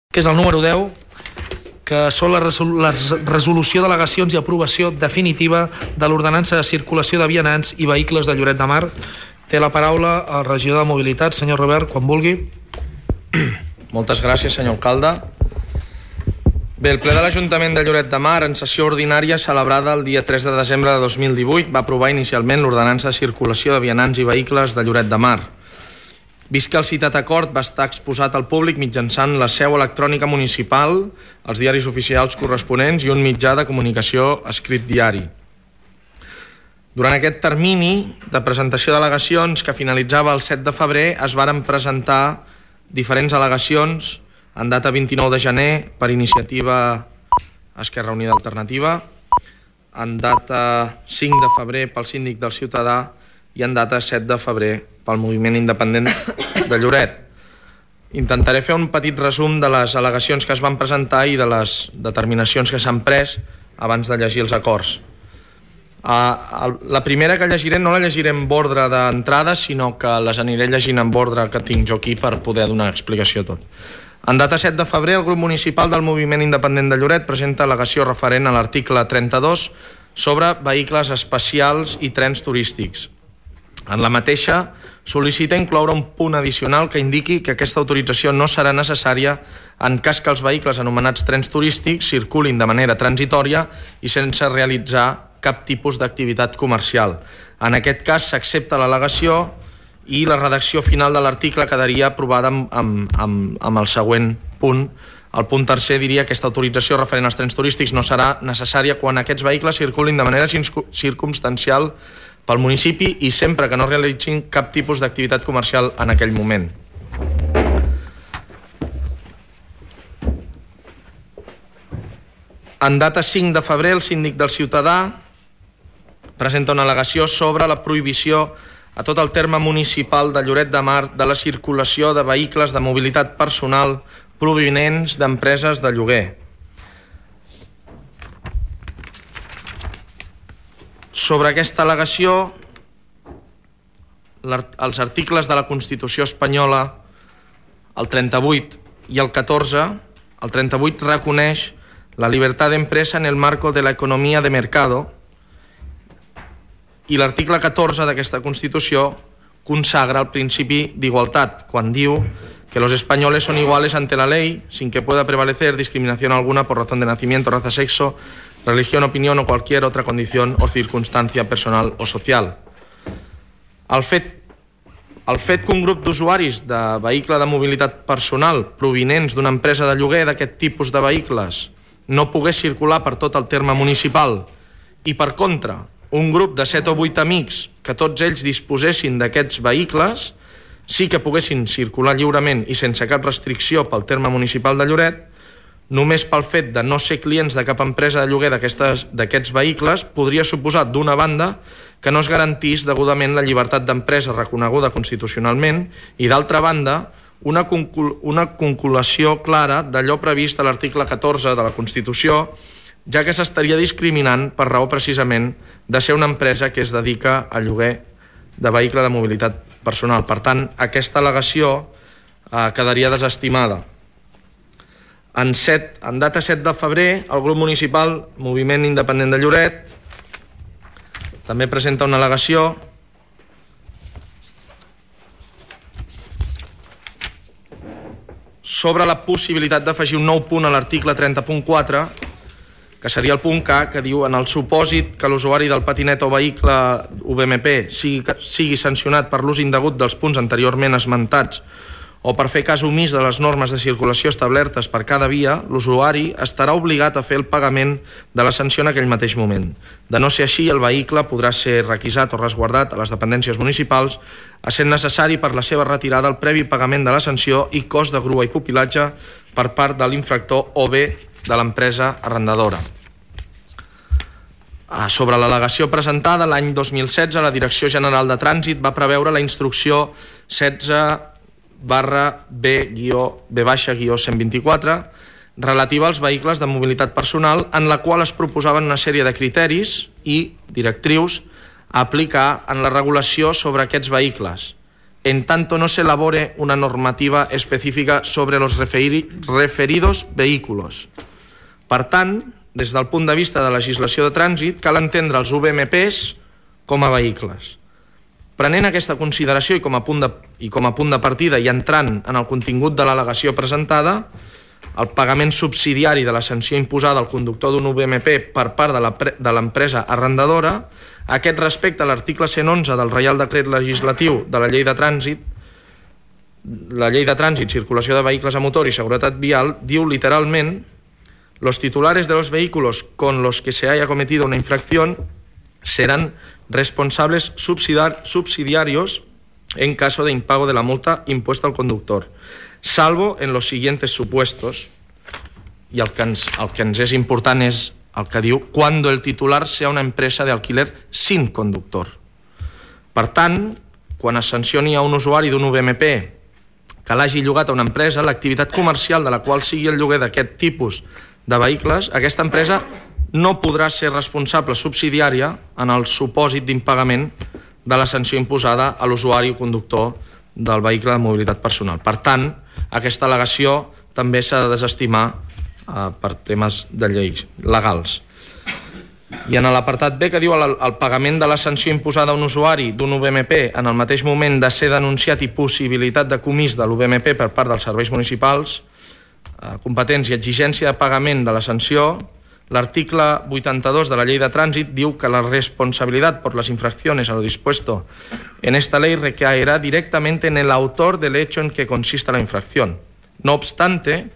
que és el número 10, que són la resolució d'al·legacions i aprovació definitiva de l'ordenança de circulació de vianants i vehicles de Lloret de Mar. Té la paraula el regidor de Mobilitat, senyor Robert, quan vulgui. Moltes gràcies, senyor alcalde. Bé, el ple de l'Ajuntament de Lloret de Mar, en sessió ordinària celebrada el dia 3 de desembre de 2018, va aprovar inicialment l'ordenança de circulació de vianants i vehicles de Lloret de Mar. Vist que el citat acord va estar exposat al públic mitjançant la seu electrònica municipal, els diaris oficials corresponents i un mitjà de comunicació escrit diari. Durant aquest termini de presentació d'al·legacions, que finalitzava el 7 de febrer, es varen presentar diferents al·legacions en data 29 de gener per iniciativa Esquerra Unida Alternativa, en data 5 de febrer pel síndic del Ciutadà i en data 7 de febrer pel Moviment Independent de Lloret. Intentaré fer un petit resum de les al·legacions que es van presentar i de les determinacions que s'han pres abans de llegir els acords. La primera que llegiré no la llegiré en ordre d'entrada, sinó que les aniré llegint en ordre que tinc jo aquí per poder donar explicació a tot. En data 7 de febrer, el grup municipal del Moviment Independent de Lloret presenta al·legació referent a l'article 32 sobre vehicles especials i trens turístics. En la mateixa, sol·licita incloure un punt addicional que indiqui que aquesta autorització no serà necessària en cas que els vehicles anomenats trens turístics circulin de manera transitòria i sense realitzar cap tipus d'activitat comercial. En aquest cas s'accepta l'al·legació i la redacció final de l'article quedaria aprovada amb el següent punt. El punt tercer diria que aquesta autorització referent als trens turístics no serà necessària quan aquests vehicles circulin de manera circumstancial pel municipi i sempre que no realitzin cap tipus d'activitat comercial en aquell moment. En data 5 de febrer, el síndic del Ciutadà presenta una al·legació sobre la prohibició a tot el terme municipal de Lloret de Mar de la circulació de vehicles de mobilitat personal provinents d'empreses de lloguer. Sobre aquesta al·legació, els articles de la Constitució espanyola, el 38 i el 14, el 38 reconeix la libertad de empresa en el marco de la economía de mercado i l'article 14 d'aquesta Constitució consagra el principi d'igualtat quan diu que los españoles son iguales ante la ley sin que pueda prevalecer discriminación alguna por razón de nacimiento, raza, sexo, religión, opinión o cualquier otra condición o circunstancia personal o social. El fet que un grup d'usuaris de vehicle de mobilitat personal provinents d'una empresa de lloguer d'aquest tipus de vehicles no pogués circular per tot el terme municipal i, per contra, un grup de 7 o 8 amics que tots ells disposessin d'aquests vehicles sí que poguessin circular lliurement i sense cap restricció pel terme municipal de Lloret, només pel fet de no ser clients de cap empresa de lloguer d'aquests vehicles podria suposar, d'una banda, que no es garantís degudament la llibertat d'empresa reconeguda constitucionalment i, d'altra banda, una conculació clara d'allò previst a l'article 14 de la Constitució, ja que s'estaria discriminant per raó precisament de ser una empresa que es dedica al lloguer de vehicle de mobilitat personal. Per tant, aquesta al·legació quedaria desestimada. En data 7 de febrer, el grup municipal Moviment Independent de Lloret també presenta una al·legació sobre la possibilitat d'afegir un nou punt a l'article 30.4, que seria el punt K, que diu: en el supòsit que l'usuari del patinet o vehicle UVMP sigui sancionat per l'ús indegut dels punts anteriorment esmentats o per fer cas omís de les normes de circulació establertes per cada via, l'usuari estarà obligat a fer el pagament de la sanció en aquell mateix moment. De no ser així, el vehicle podrà ser requisat o resguardat a les dependències municipals, essent necessari per la seva retirada el previ pagament de la sanció i cost de grua i pupilatge per part de l'infractor o bé de l'empresa arrendadora. Sobre l'al·legació presentada l'any 2016, la Direcció General de Trànsit va preveure la instrucció 16/B-124 relativa als vehicles de mobilitat personal, en la qual es proposaven una sèrie de criteris i directrius a aplicar en la regulació sobre aquests vehicles, en tanto no se elabore una normativa específica sobre los referidos vehículos. Per tant, des del punt de vista de legislació de trànsit, cal entendre els VMPs com a vehicles. Prenent aquesta consideració i com a punt de partida i entrant en el contingut de l'al·legació presentada, el pagament subsidiari de la sanció imposada al conductor d'un VMP per part de l'empresa arrendadora, aquest respecte a l'article 111 del Reial Decret Legislatiu de la Llei de Trànsit, la Llei de Trànsit, Circulació de Vehicles a Motor i Seguretat Vial, diu literalment: los titulares de los vehículos con los que se haya cometido una infracción serán responsables subsidiarios en caso de impago de la multa impuesta al conductor, salvo en los siguientes supuestos. I el que ens és important és el que diu cuando el titular sea una empresa de alquiler sin conductor. Per tant, quan es sancioni a un usuari d'un VMP que l'hagi llogat a una empresa, l'activitat comercial de la qual sigui el lloguer d'aquest tipus de vehicles, aquesta empresa no podrà ser responsable subsidiària en el supòsit d'impagament de la sanció imposada a l'usuari o conductor del vehicle de mobilitat personal. Per tant, aquesta al·legació també s'ha de desestimar per temes de lleis legals. I en l'apartat B, que diu el pagament de la sanció imposada a un usuari d'un VMP en el mateix moment de ser denunciat i possibilitat de comís de l'VMP per part dels serveis municipals competents i exigència de pagament de la sanció, l'article 82 de la Ley de Trànsit diu que la responsabilidad por las infracciones a lo dispuesto en esta ley recaerá directamente en el autor del hecho en que consista la infracción. No obstante,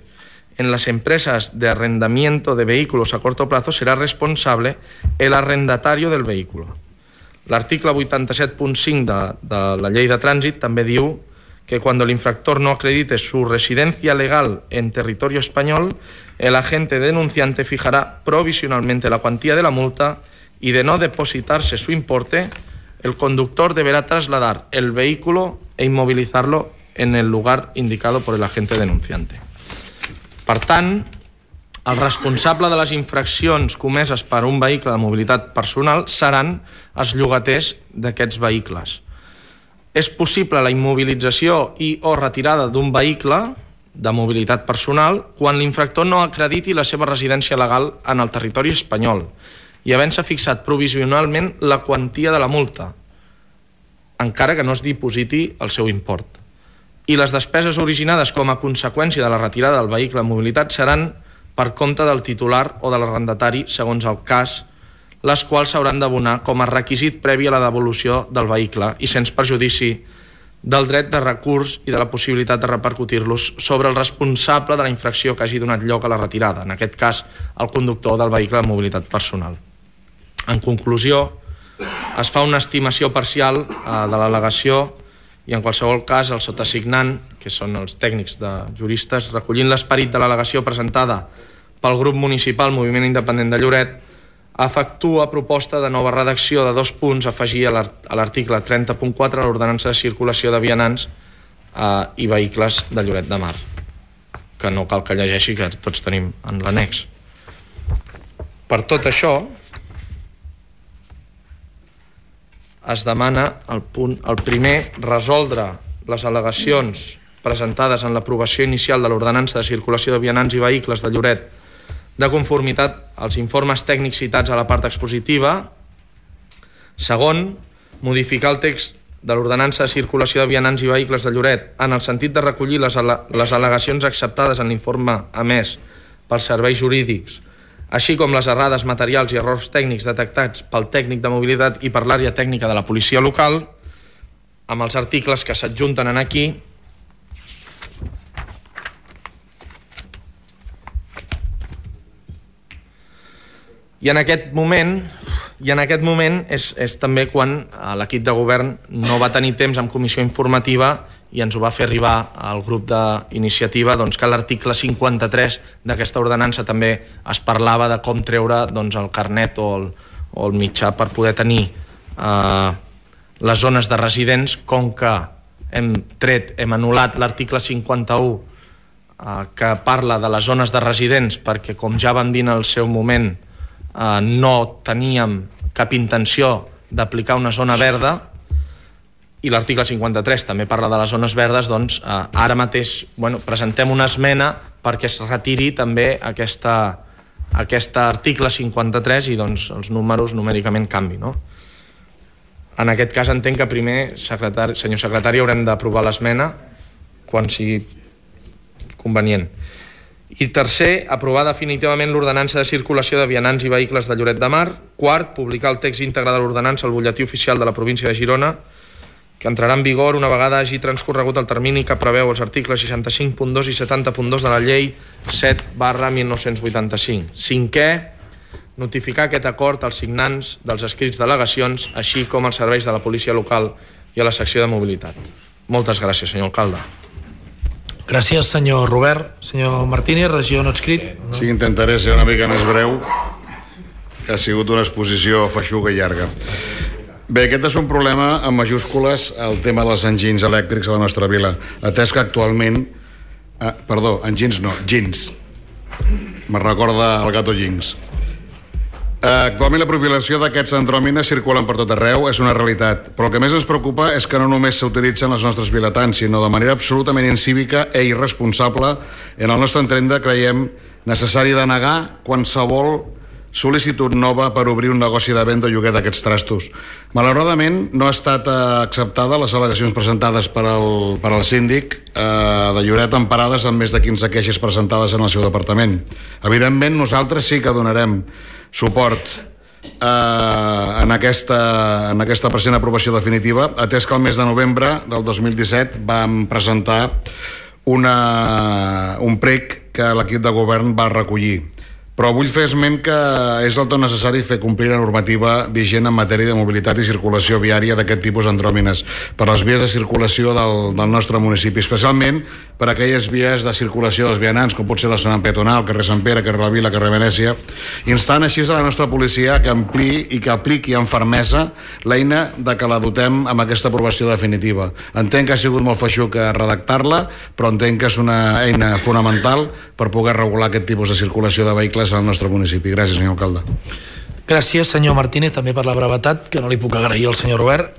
en las empresas de arrendamiento de vehículos a corto plazo será responsable el arrendatario del vehículo. L'article 87.5 de la Ley de Trànsit també diu que cuando el infractor no acredite su residencia legal en territorio español, el agente denunciante fijará provisionalmente la cuantía de la multa y, de no depositarse su importe, el conductor deberá trasladar el vehículo e inmovilizarlo en el lugar indicado por el agente denunciante. Per tant, el responsable de les infraccions comeses per un vehicle de mobilitat personal seran els llogaters d'aquests vehicles. És possible la immobilització i o retirada d'un vehicle de mobilitat personal quan l'infractor no acrediti la seva residència legal en el territori espanyol i havent-se fixat provisionalment la quantia de la multa, encara que no es dipositi el seu import. I les despeses originades com a conseqüència de la retirada del vehicle de mobilitat seran per compte del titular o de l'arrendatari, segons el cas, les quals s'hauran d'abonar com a requisit previ a la devolució del vehicle i sens perjudici del dret de recurs i de la possibilitat de repercutir-los sobre el responsable de la infracció que hagi donat lloc a la retirada, en aquest cas el conductor del vehicle de mobilitat personal. En conclusió, es fa una estimació parcial de l'al·legació i en qualsevol cas el sotassignant, que són els tècnics de juristes, recollint l'esperit de l'al·legació presentada pel grup municipal Moviment Independent de Lloret, efectua proposta de nova redacció de 2 punts a afegir a l'article 30.4 a l'ordenança de circulació de vianants i vehicles de Lloret de Mar, que no cal que llegeixi, que tots tenim en l'annex. Per tot això, es demana el primer, resoldre les al·legacions presentades en l'aprovació inicial de l'ordenança de circulació de vianants i vehicles de Lloret de conformitat als informes tècnics citats a la part expositiva. Segon, modificar el text de l'ordenança de circulació de vianants i vehicles de Lloret en el sentit de recollir les al·legacions acceptades en l'informe emès pels serveis jurídics, així com les errades materials i errors tècnics detectats pel tècnic de mobilitat i per l'àrea tècnica de la policia local, amb els articles que s'adjunten aquí. I en aquest moment és també quan l'equip de govern no va tenir temps en comissió informativa i ens ho va fer arribar al grup d'iniciativa que l'article 53 d'aquesta ordenança també es parlava de com treure el carnet o el mitjà per poder tenir les zones de residents, com que hem anul·lat l'article 51 que parla de les zones de residents perquè, com ja vam dir en el seu moment, no teníem cap intenció d'aplicar una zona verda. i l'article 53 també parla de les zones verdes, doncs ara mateix presentem una esmena perquè es retiri també aquest article 53 i doncs els números numèricament canvi, no? En aquest cas entenc que primer, senyor secretari, haurem d'aprovar l'esmena quan sigui convenient. I tercer, aprovar definitivament l'ordenança de circulació de vianants i vehicles de Lloret de Mar. Quart, publicar el text íntegre de l'ordenança al butlletí oficial de la província de Girona, que entrarà en vigor una vegada hagi transcorregut el termini que preveu els articles 65.2 i 70.2 de la llei 7/1985. Cinquè, notificar aquest acord als signants dels escrits d'al·legacions, així com als serveis de la policia local i a la secció de mobilitat. Moltes gràcies, senyor alcalde. Gràcies, senyor Robert. Senyor Martínez, regió no adscrit. Sí, intentaré ser una mica més breu, que ha sigut una exposició feixuga i llarga. Bé, aquest és un problema amb majúscules, el tema dels enginys elèctrics a la nostra vila, atès que actualment... Gins. Me recorda el gato Jinx. Actualment la profilació d'aquests andròmines circulen per tot arreu, és una realitat, però el que més ens preocupa és que no només s'utilitzen els nostres vilatans, sinó de manera absolutament incívica i irresponsable. En el nostre entendre creiem necessari denegar qualsevol sol·licitud nova per obrir un negoci de venda o lloguer d'aquests trastos. Malauradament no ha estat acceptada les al·legacions presentades per al síndic de Lloret, emparades amb més de 15 queixes presentades en el seu departament. Evidentment nosaltres sí que donarem suport en aquesta present aprovació definitiva, atès que el mes de novembre del 2017 vam presentar un prec que l'equip de govern va recollir. Però vull fer esment que és del tot necessari fer complir la normativa vigent en matèria de mobilitat i circulació viària d'aquest tipus d'andròmines per les vies de circulació del nostre municipi, especialment per aquelles vies de circulació dels vianants, com pot ser la zona peatonal, carrer Sant Pere, carrer la Vila, carrer Venècia, instant així a la nostra policia que ampliï i que apliqui amb fermesa l'eina de que la dotem amb aquesta aprovació definitiva. Entenc que ha sigut molt feixuc redactar-la, però entenc que és una eina fonamental per poder regular aquest tipus de circulació de vehicles al nostre municipi. Gràcies, senyor alcalde. Gràcies, senyor Martínez, també per la brevetat, que no li puc agrair al senyor Robert.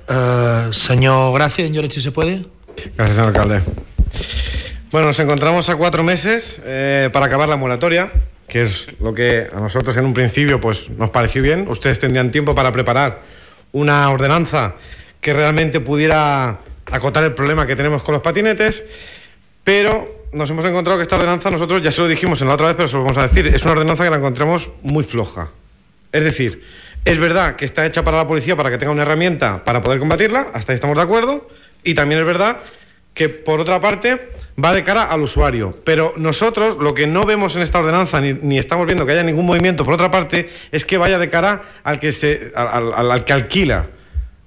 Señor Gracia, en Lloret, si se puede. Gracias, señor alcalde. Bueno, nos encontramos a 4 meses para acabar la moratoria, que es lo que a nosotros en un principio pues nos pareció bien. Ustedes tendrían tiempo para preparar una ordenanza que realmente pudiera acotar el problema que tenemos con los patinetes, pero nos hemos encontrado que esta ordenanza, nosotros ya se lo dijimos en la otra vez, pero se lo vamos a decir, es una ordenanza que la encontramos muy floja. Es decir, es verdad que está hecha para la policía para que tenga una herramienta para poder combatirla, hasta ahí estamos de acuerdo, y también es verdad que por otra parte va de cara al usuario, pero nosotros lo que no vemos en esta ordenanza ni estamos viendo que haya ningún movimiento por otra parte es que vaya de cara al que al que alquila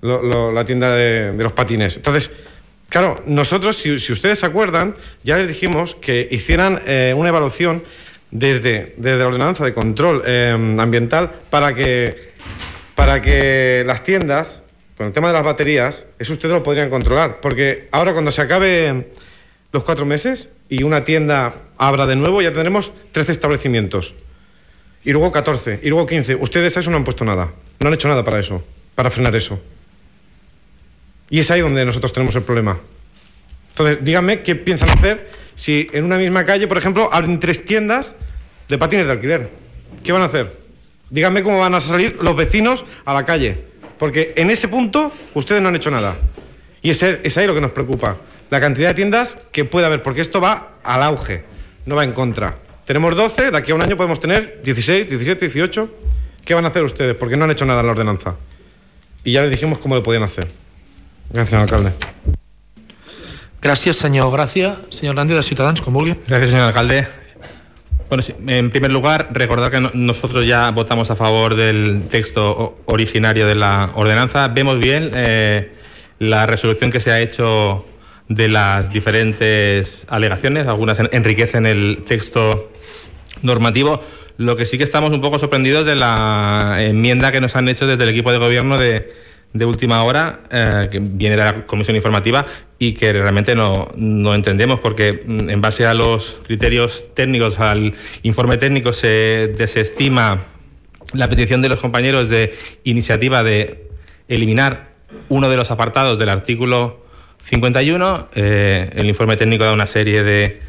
la tienda de los patines. Entonces, claro, nosotros, si ustedes se acuerdan, ya les dijimos que hicieran una evaluación desde la ordenanza de control ambiental para que las tiendas, con el tema de las baterías, eso ustedes lo podrían controlar, porque ahora cuando se acabe los 4 meses y una tienda abra de nuevo, ya tendremos 13 establecimientos, y luego 14, y luego 15. Ustedes a eso no han puesto nada, no han hecho nada para eso, para frenar eso. Y es ahí donde nosotros tenemos el problema. Entonces, díganme qué piensan hacer si en una misma calle, por ejemplo, abren 3 tiendas de patines de alquiler. ¿Qué van a hacer? Díganme cómo van a salir los vecinos a la calle. Porque en ese punto ustedes no han hecho nada. Y es ahí lo que nos preocupa. La cantidad de tiendas que puede haber, porque esto va al auge, no va en contra. Tenemos 12, de aquí a un año podemos tener 16, 17, 18. ¿Qué van a hacer ustedes? Porque no han hecho nada en la ordenanza. Y ya les dijimos cómo lo podían hacer. Gracias, señor alcalde. Gracias, señor Gracia. Señor Grande, de Ciutadans, com vulgui. Gracias, señor alcalde. Bueno, sí, en primer lugar, recordar que nosotros ya votamos a favor del texto originario de la ordenanza. Vemos bien la resolución que se ha hecho de las diferentes alegaciones. Algunas enriquecen el texto normativo. Lo que sí que estamos un poco sorprendidos de la enmienda que nos han hecho desde el equipo de gobierno de última hora, que viene de la comisión informativa y que realmente no entendemos, porque en base a los criterios técnicos, al informe técnico, se desestima la petición de los compañeros de iniciativa de eliminar uno de los apartados del artículo 51. El informe técnico da una serie de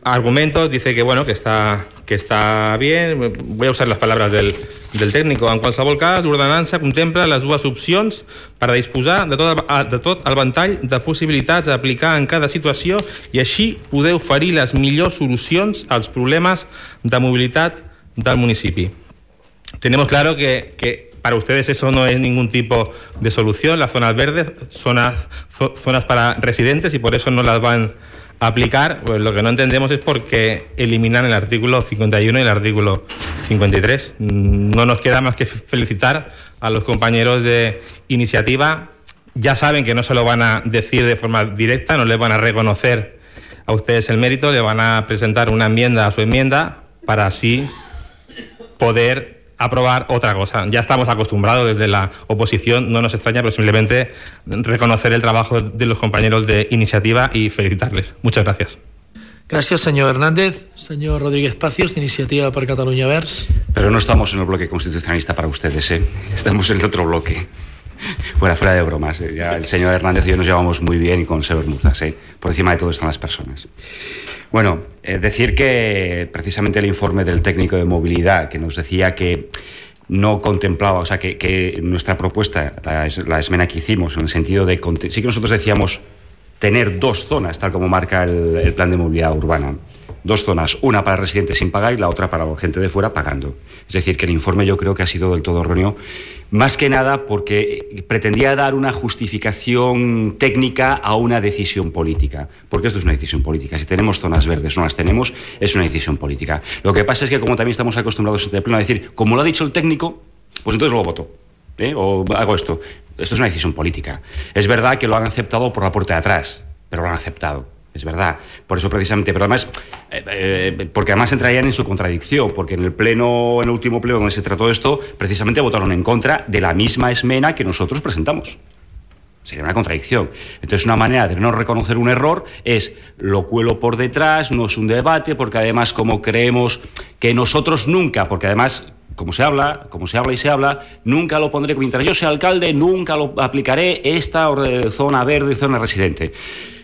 argumentos, dice que bueno, que està bien. Voy a usar les paraules del tècnic. En qualsevol cas, l'ordenança contempla les dues opcions per a disposar de tot el ventall de possibilitats a aplicar en cada situació i així poder oferir les millors solucions als problemes de mobilitat del municipi. Tenemos claro que para ustedes eso no es ningún tipo de solución. Las zonas verdes son zonas para residentes y por eso no las van aplicar. Pues lo que no entendemos es por qué eliminan el artículo 51 y el artículo 53. No nos queda más que felicitar a los compañeros de iniciativa. Ya saben que no se lo van a decir de forma directa, no les van a reconocer a ustedes el mérito, le van a presentar una enmienda a su enmienda para así poder aprobar otra cosa. Ya estamos acostumbrados desde la oposición, no nos extraña, pero simplemente reconocer el trabajo de los compañeros de iniciativa y felicitarles. Muchas gracias. Gracias, señor Hernández. Señor Rodríguez Pacios, de Iniciativa per Catalunya Verds. Pero no estamos en el bloque constitucionalista para ustedes, ¿eh? Estamos en el otro bloque. Fuera de bromas, ¿eh? Ya el señor Hernández y yo nos llevamos muy bien y con el señor Muzas, ¿eh? Por encima de todo están las personas. Bueno, decir que precisamente el informe del técnico de movilidad que nos decía que no contemplaba, o sea, que nuestra propuesta, la esmena que hicimos, en el sentido de... Sí que nosotros decíamos tener dos zonas, tal como marca el plan de movilidad urbana. Dos zonas, una para residentes sin pagar y la otra para la gente de fuera pagando. Es decir, que el informe yo creo que ha sido del todo erróneo, más que nada porque pretendía dar una justificación técnica a una decisión política, porque esto es una decisión política. Si tenemos zonas verdes o no las tenemos, es una decisión política. Lo que pasa es que como también estamos acostumbrados en este pleno a decir, como lo ha dicho el técnico, pues entonces lo voto, o hago esto. Esto es una decisión política. Es verdad que lo han aceptado por la puerta de atrás, pero lo han aceptado. Es verdad, por eso precisamente, pero además, porque además entrarían en su contradicción, porque en el último pleno donde se trató esto, precisamente votaron en contra de la misma esmena que nosotros presentamos. Sería una contradicción. Entonces, una manera de no reconocer un error es lo cuelo por detrás, no es un debate, porque además como creemos que nosotros nunca, porque además... Como se habla y se habla, nunca lo pondré, mientras yo sea alcalde, nunca lo aplicaré esta zona verde, zona residente.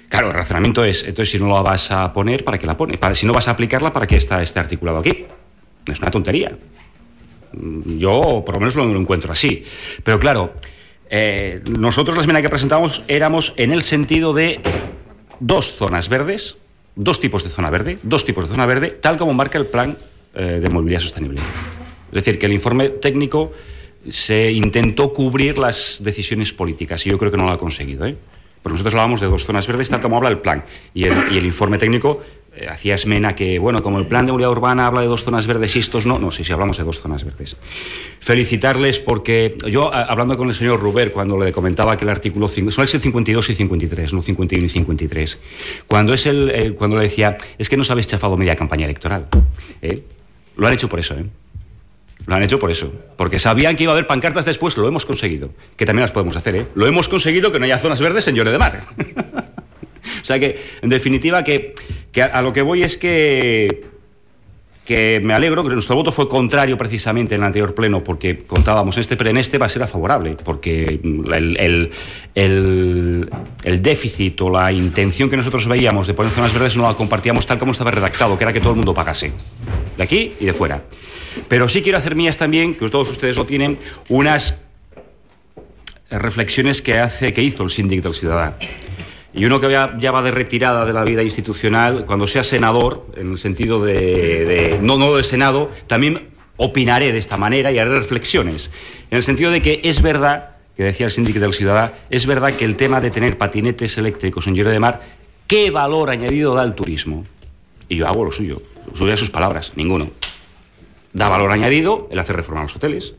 Claro, el razonamiento es, entonces si no la vas a poner, ¿para qué la pones? Si no vas a aplicarla, ¿para qué está este articulado aquí? Es una tontería. Yo por lo menos lo encuentro así. Pero claro, nosotros la esmena que presentamos éramos en el sentido de dos zonas verdes, dos tipos de zona verde, tal como marca el plan de movilidad sostenible. Es decir, que el informe técnico se intentó cubrir las decisiones políticas y yo creo que no lo ha conseguido, ¿eh? Porque nosotros hablábamos de dos zonas verdes, tal como habla el plan. Y el informe técnico hacía esmena que, bueno, como el plan de movilidad urbana habla de dos zonas verdes y estos no. No, sí, hablamos de dos zonas verdes. Felicitarles porque yo, hablando con el señor Ruber, cuando le comentaba que el artículo 5, son el 52 y 53, no 51 y 53. Cuando le decía, es que nos habéis chafado media campaña electoral. Lo han hecho por eso, Lo han hecho por eso, porque sabían que iba a haber pancartas después, lo hemos conseguido, que también las podemos hacer, Lo hemos conseguido que no haya zonas verdes en Lloret de Mar. O sea que, en definitiva, que a lo que voy es que me alegro, que nuestro voto fue contrario precisamente en el anterior pleno, porque contábamos, en este va a ser favorable, porque el déficit o la intención que nosotros veíamos de poner zonas verdes no la compartíamos tal como estaba redactado, que era que todo el mundo pagase, de aquí y de fuera. Pero sí quiero hacer mías también, que todos ustedes lo tienen, unas reflexiones que hizo el síndic del Ciudadà. Y uno que ya va de retirada de la vida institucional, cuando sea senador, en el sentido no del Senado, también opinaré de esta manera y haré reflexiones. En el sentido de que es verdad, que decía el síndic del Ciudadà, es verdad que el tema de tener patinetes eléctricos en Lloret de Mar, ¿qué valor añadido da al turismo? Y yo hago lo suyo a sus palabras, ninguno. Da valor añadido el hacer reformar los hoteles.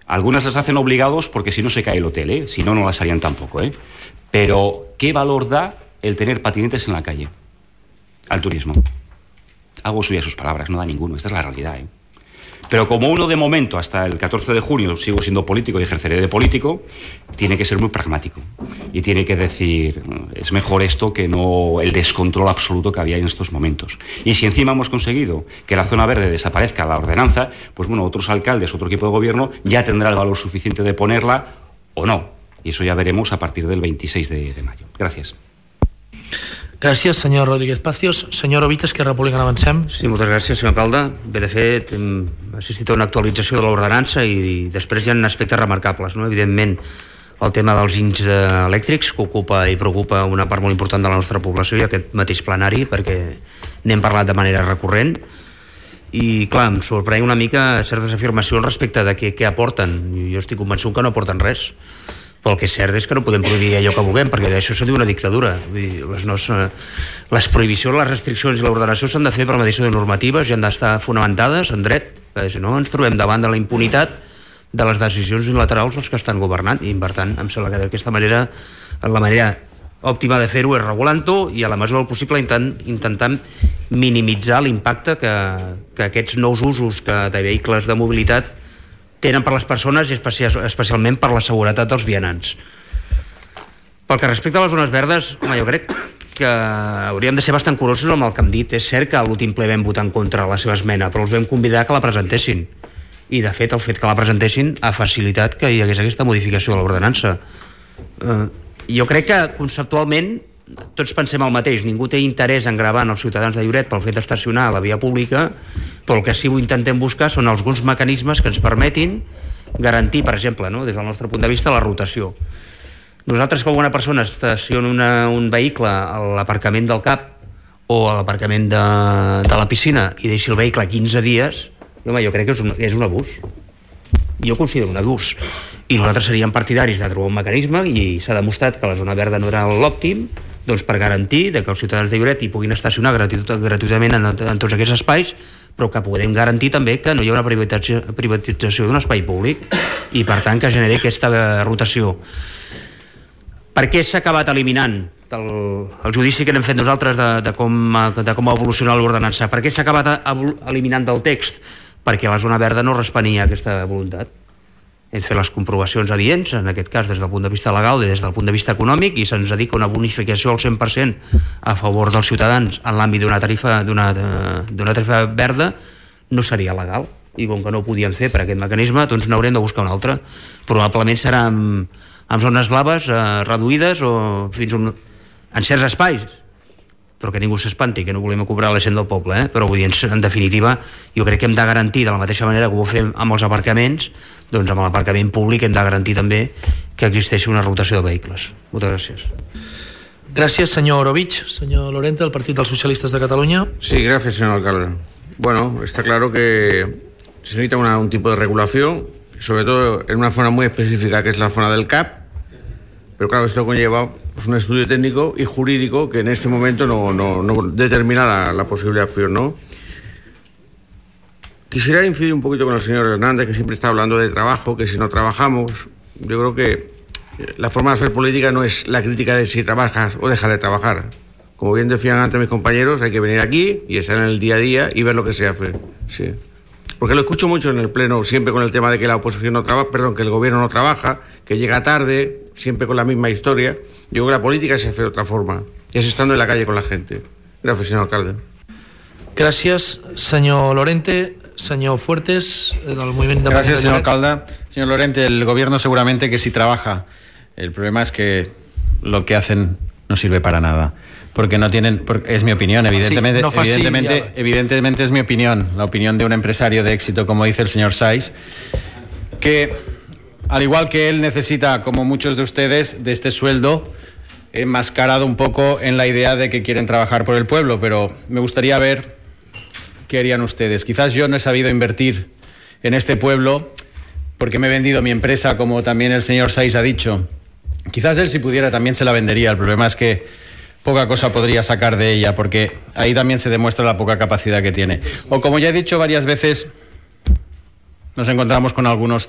Algunas las hacen obligados porque si no se cae el hotel, si no, no las harían tampoco, Pero, ¿qué valor da el tener patinetes en la calle al turismo? Hago suya sus palabras, no da ninguno, esta es la realidad, Pero como uno de momento, hasta el 14 de junio, sigo siendo político y ejerceré de político, tiene que ser muy pragmático. Y tiene que decir, es mejor esto que no el descontrol absoluto que había en estos momentos. Y si encima hemos conseguido que la zona verde desaparezca la ordenanza, pues bueno, otros alcaldes, otro equipo de gobierno, ya tendrá el valor suficiente de ponerla o no. y eso ya veremos a partir del 26 de mayo. Gracias. Gràcies, senyor Rodríguez Pacios. Senyor Ovich, Esquerra Republicana, avancem. Sí, moltes gràcies, senyor alcalde. Bé, de fet, hem assistit a una actualització de l'ordenança i després hi ha aspectes remarcables, no? Evidentment, el tema dels ginys elèctrics, que ocupa i preocupa una part molt important de la nostra població, i aquest mateix plenari, perquè n'hem parlat de manera recurrent. I, clar, em sorprèn una mica certes afirmacions respecte de què aporten. Jo estic convençut que no aporten res. Però el que és cert és que no podem prohibir allò que vulguem, perquè d'això se diu una dictadura. Les prohibicions, les restriccions i l'ordenació s'han de fer per mediació de normatives i han d'estar fonamentades en dret, perquè si no ens trobem davant de la impunitat de les decisions unilaterals dels que estan governant, i per tant em sembla que d'aquesta manera la manera òptima de fer-ho és regulant-ho i a la mesura del possible intentant minimitzar l'impacte que aquests nous usos de vehicles de mobilitat tenen per les persones i especialment per la seguretat dels vianants. Pel que respecta a les zones verdes, jo crec que hauríem de ser bastant curosos amb el que hem dit. És cert que a l'últim ple vam votar en contra la seva esmena, però els vam convidar que la presentessin. I, de fet, el fet que la presentessin ha facilitat que hi hagués aquesta modificació de l'ordenança. Jo crec que, conceptualment, tots pensem el mateix. Ningú té interès en gravar els ciutadans de Lloret pel fet d'estacionar a la via pública, però el que sí que intentem buscar són alguns mecanismes que ens permetin garantir, per exemple, des del nostre punt de vista, la rotació. Nosaltres, que alguna persona estaciona un vehicle a l'aparcament del CAP o a l'aparcament de la piscina i deixi el vehicle 15 dies, jo crec que és un abús. Jo considero un abús. I nosaltres seríem partidaris de trobar un mecanisme, i s'ha demostrat que la zona verda no era l'òptim, doncs per garantir que els ciutadans de Lloret hi puguin estacionar gratuïtament en tots aquests espais, però que podem garantir també que no hi ha una privatització d'un espai públic i, per tant, que generi aquesta rotació. Per què s'ha acabat eliminant el judici que n'hem fet nosaltres de com ha evolucionat l'ordenança? Per què s'ha acabat eliminant del text? Perquè la zona verda no respenia a aquesta voluntat. Hem fet les comprovacions adients, en aquest cas des del punt de vista legal i des del punt de vista econòmic, i se'ns dedica una bonificació al 100% a favor dels ciutadans en l'àmbit d'una tarifa verda, no seria legal. I com que no ho podíem fer per aquest mecanisme, doncs n'haurem de buscar un altre. Probablement serà amb zones blaves reduïdes o fins en certs espais, però que ningú s'espanti, que no volem cobrar la gent del poble, però vull dir, en definitiva, jo crec que hem de garantir, de la mateixa manera que ho fem amb els aparcaments, doncs amb l'aparcament públic hem de garantir també que existeixi una rotació de vehicles. Moltes gràcies. Gràcies, senyor Ovich. Senyor Lorente, del Partit dels Socialistes de Cataluña. Sí, gracias, señor alcalde. Bueno, está claro que se necesita un tipo de regulación, sobre todo en una zona muy específica que es la zona del CAP. Pero claro, esto conlleva un estudio técnico y jurídico que en este momento no determina la posible acción, ¿no? Quisiera incidir un poquito con el señor Hernández, que siempre está hablando de trabajo, que si no trabajamos, yo creo que la forma de hacer política no es la crítica de si trabajas o dejas de trabajar. Como bien decían antes mis compañeros, hay que venir aquí y estar en el día a día y ver lo que se hace. Sí. Porque lo escucho mucho en el pleno, siempre con el tema de que la oposición no trabaja, que el gobierno no trabaja, que llega tarde, siempre con la misma historia. Yo creo que la política se hace de otra forma, es estando en la calle con la gente. Gracias, señor alcalde. Gracias, señor Lorente. Señor Fuertes, del Movimiento Independiente. Gracias, señor alcalde. Señor Lorente, el gobierno seguramente que sí trabaja. El problema es que lo que hacen no sirve para nada. Porque no tienen, es mi opinión, evidentemente, evidentemente es mi opinión, la opinión de un empresario de éxito, como dice el señor Saiz, que al igual que él necesita, como muchos de ustedes, de este sueldo enmascarado un poco en la idea de que quieren trabajar por el pueblo, pero me gustaría ver qué harían ustedes. Quizás yo no he sabido invertir en este pueblo porque me he vendido mi empresa, como también el señor Saiz ha dicho. Quizás él, si pudiera, también se la vendería. El problema es que poca cosa podría sacar de ella, porque ahí también se demuestra la poca capacidad que tiene. O, como ya he dicho varias veces, nos encontramos con algunos